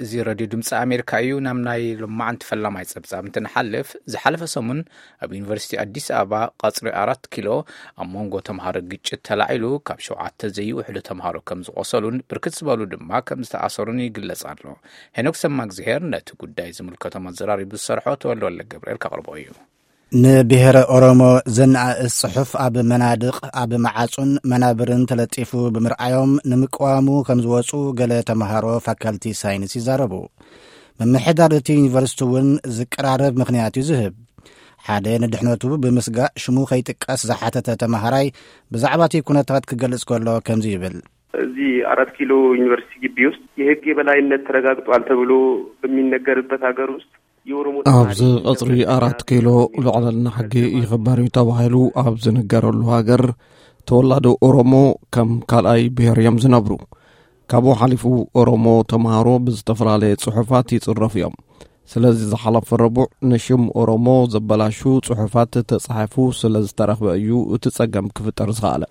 እዚ ሬድዮ ድምፂ ኣሜሪካ እዩ። ናብ ናይ ሎማዓንቲ ፈላማይ ፀብፃብ እንትንሓልፍ፣ ዝሓለፈ ሰሙን ኣብ ዩኒቨርሲቲ ኣዲስ ኣበባ ቀፅሪ ኣራት ኪሎ ኣብ መንጎ ተምሃሮ ግጭት ተላዒሉ፣ ካብ ሸውዓተ ዘይውሕዱ ተምሃሮ ከም ዝቆሰሉን ብርክት ዝበሉ ድማ ከም ዝተኣሰሩን ይግለጽ ኣሎ። ሄኖክ ሰማእግዚሄር ነቲ ጉዳይ ዝምልከቶም ኣዘራሪቡ ዝሰርሖ ተወልደ ወልደ ገብርኤል ከቕርቦ እዩ። ንብሔረ ኦሮሞ ዘነኣእስ ጽሑፍ ኣብ መናድቕ፣ ኣብ መዓጹን መናብርን ተለጢፉ ብምርኣዮም ንምቅዋሙ ከም ዝወጹ ገለ ተምሃሮ ፋካልቲ ሳይንስ ይዛረቡ። ምምሕዳር እቲ ዩኒቨርሲቲ እውን ዝቀራረብ ምኽንያት እዩ ዝህብ። ሓደ ንድሕነቱ ብምስጋእ ሽሙ ከይጥቀስ ዝሓተተ ተምሃራይ ብዛዕባ እቲ ኩነታት ክገልጽ ከሎ ከምዚ ይብል። እዚህ አራት ኪሎ ዩኒቨርሲቲ ግቢ ውስጥ የህግ የበላይነት ተረጋግጧል ተብሎ በሚነገርበት ሀገር ውስጥ የኦሮሞ ኣብዚ ተማሪ ቀጽሪ አራት ኪሎ ልዕልና ሕጊ ይኽበር እዩ ተባሂሉ ኣብ ዝንገረሉ ሃገር፣ ተወላዶ ኦሮሞ ከም ካልኣይ ብሔር እዮም ዝነብሩ። ካብኡ ሓሊፉ ኦሮሞ ተምሃሮ ብዝተፈላለየ ጽሑፋት ይጽረፉ እዮም። ስለዚ ዝሓለፈ ረቡዕ ንሽም ኦሮሞ ዘበላሹ ጽሑፋት ተጻሒፉ ስለ ዝተረኽበ እዩ እቲ ጸገም ክፍጠር ዝኸኣለ።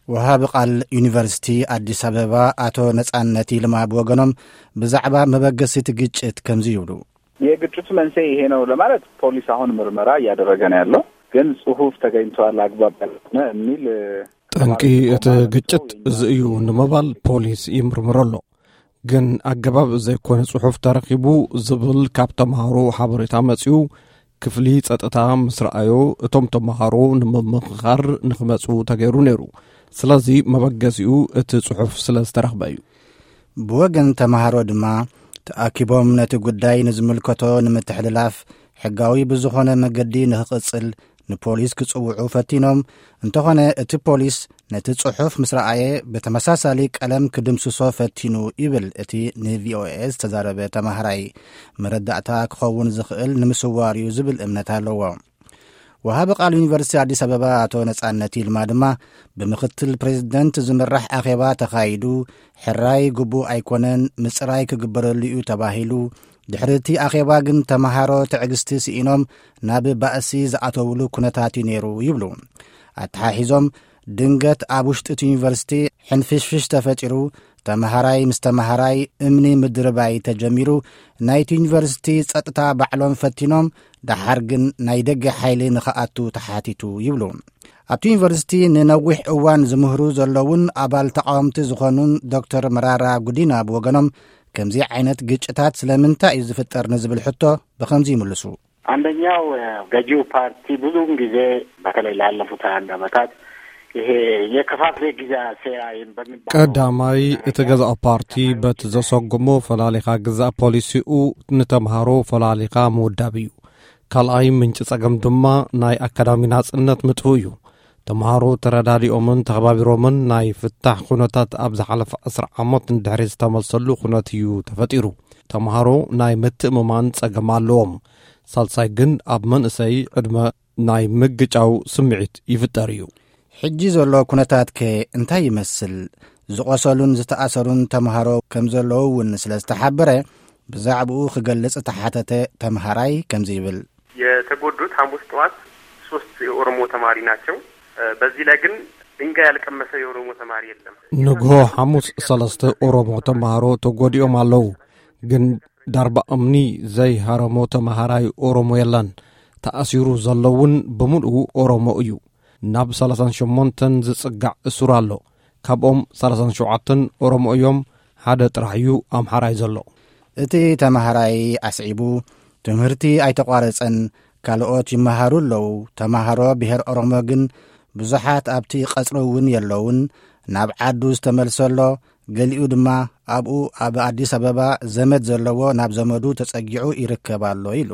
ወሃቢ ቃል ዩኒቨርሲቲ ኣዲስ ኣበባ ኣቶ ነጻነት ይልማ ብወገኖም ብዛዕባ መበገሲ እቲ ግጭት ከምዚ ይብሉ። የግጭቱ መንስኤ ይሄ ነው ለማለት ፖሊስ አሁን ምርመራ እያደረገ ነው ያለው። ግን ጽሁፍ ተገኝቷል አግባብ ያልሆነ የሚል ጠንቂ እቲ ግጭት እዚ እዩ ንምባል ፖሊስ ይምርምር ኣሎ። ግን ኣገባብ ዘይኮነ ጽሑፍ ተረኺቡ ዝብል ካብ ተምሃሮ ሓበሬታ መጺኡ ክፍሊ ጸጥታ ምስ ረኣዮ፣ እቶም ተምሃሮ ንምምኽኻር ንኽመጹ ተገይሩ ነይሩ። ስለዚ መበገሲኡ እቲ ጽሑፍ ስለ ዝተረኽበ እዩ። ብወገን ተምሃሮ ድማ ተኣኪቦም ነቲ ጉዳይ ንዝምልከቶ ንምትሕልላፍ ሕጋዊ ብዝኾነ መገዲ ንኽቕጽል ንፖሊስ ክጽውዑ ፈቲኖም። እንተኾነ እቲ ፖሊስ ነቲ ጽሑፍ ምስ ረኣየ ብተመሳሳሊ ቀለም ክድምስሶ ፈቲኑ ይብል እቲ ንቪኦኤ ዝተዛረበ ተምሃራይ። መረዳእታ ክኸውን ዝኽእል ንምስዋር እዩ ዝብል እምነት ኣለዎ። ወሃቢ ቃል ዩኒቨርሲቲ ኣዲስ ኣበባ ኣቶ ነጻነት ይልማ ድማ ብምኽትል ፕሬዝደንት ዝምራሕ ኣኼባ ተኻይዱ፣ ሕራይ ግቡእ ኣይኮነን፣ ምጽራይ ክግበረሉ እዩ ተባሂሉ። ድሕሪ እቲ ኣኼባ ግን ተምሃሮ ትዕግስቲ ስኢኖም ናብ ባእሲ ዝኣተውሉ ኩነታት እዩ ነይሩ ይብሉ። ኣተሓሒዞም ድንገት ኣብ ውሽጢ እቲ ዩኒቨርሲቲ ሕንፍሽፍሽ ተፈጢሩ፣ ተምሃራይ ምስ ተምሃራይ እምኒ ምድርባይ ተጀሚሩ፣ ናይቲ ዩኒቨርሲቲ ጸጥታ ባዕሎም ፈቲኖም፣ ደሓር ግን ናይ ደገ ሓይሊ ንኽኣቱ ተሓቲቱ ይብሉ። ኣብቲ ዩኒቨርሲቲ ንነዊሕ እዋን ዝምህሩ ዘለውን ኣባል ተቃወምቲ ዝኾኑን ዶክተር መራራ ጉዲና ብወገኖም ከምዚ ዓይነት ግጭታት ስለምንታይ እዩ ዝፍጠር ንዝብል ሕቶ ብኸምዚ ይምልሱ። አንደኛው ገዢው ፓርቲ ብዙውን ጊዜ በተለይ ላለፉት ሃያ አንድ ዓመታት ይሄ የከፋፍለ ግዛ ሴራ በሚባለው ቀዳማይ እቲ ገዛእ ፓርቲ በቲ ዘሰጉሞ ፈላሊኻ ግዛእ ፖሊሲኡ ንተምሃሮ ፈላሊኻ ምውዳብ እዩ። ካልኣይ ምንጪ ጸገም ድማ ናይ ኣካዳሚ ናጽነት ምጥፉእ እዩ። ተምሃሮ ተረዳዲኦምን ተኸባቢሮምን ናይ ፍታሕ ኩነታት ኣብ ዝሓለፈ ዕስራ ዓመት ንድሕሪ ዝተመልሰሉ ኩነት እዩ ተፈጢሩ። ተምሃሮ ናይ ምትእምማን ጸገም ኣለዎም። ሳልሳይ ግን ኣብ መንእሰይ ዕድመ ናይ ምግጫው ስምዒት ይፍጠር እዩ። ሕጂ ዘሎ ኩነታት ከ እንታይ ይመስል? ዝቆሰሉን ዝተኣሰሩን ተምሃሮ ከም ዘለዉ እውን ስለ ዝተሓበረ ብዛዕባኡ ክገልጽ ተሓተተ ተምሃራይ ከምዚ ይብል። የተጎዱት ሐሙስ ጠዋት ሶስት የኦሮሞ ተማሪ ናቸው። በዚህ ላይ ግን ድንጋይ ያልቀመሰ የኦሮሞ ተማሪ የለም። ንግሆ ሓሙስ ሰለስተ ኦሮሞ ተምሃሮ ተጎዲኦም ኣለዉ። ግን ዳርባ እምኒ ዘይሃረሞ ተምሃራይ ኦሮሞ የለን። ተኣሲሩ ዘሎ እውን ብምልኡ ኦሮሞ እዩ። ናብ ሰላሳን ሸሞንተን ዝጽጋዕ እሱር ኣሎ። ካብኦም ሰላሳን ሸውዓተን ኦሮሞ እዮም። ሓደ ጥራሕ እዩ ኣምሓራይ ዘሎ። እቲ ተምሃራይ ኣስዒቡ ትምህርቲ ኣይተቋረጸን፣ ካልኦት ይመሃሩ ኣለዉ። ተምሃሮ ብሔር ኦሮሞ ግን ብዙሓት ኣብቲ ቀጽሪ እውን የለውን። ናብ ዓዱ ዝተመልሰ ኣሎ፣ ገሊኡ ድማ ኣብኡ ኣብ ኣዲስ ኣበባ ዘመድ ዘለዎ ናብ ዘመዱ ተጸጊዑ ይርከብ ኣሎ ኢሉ።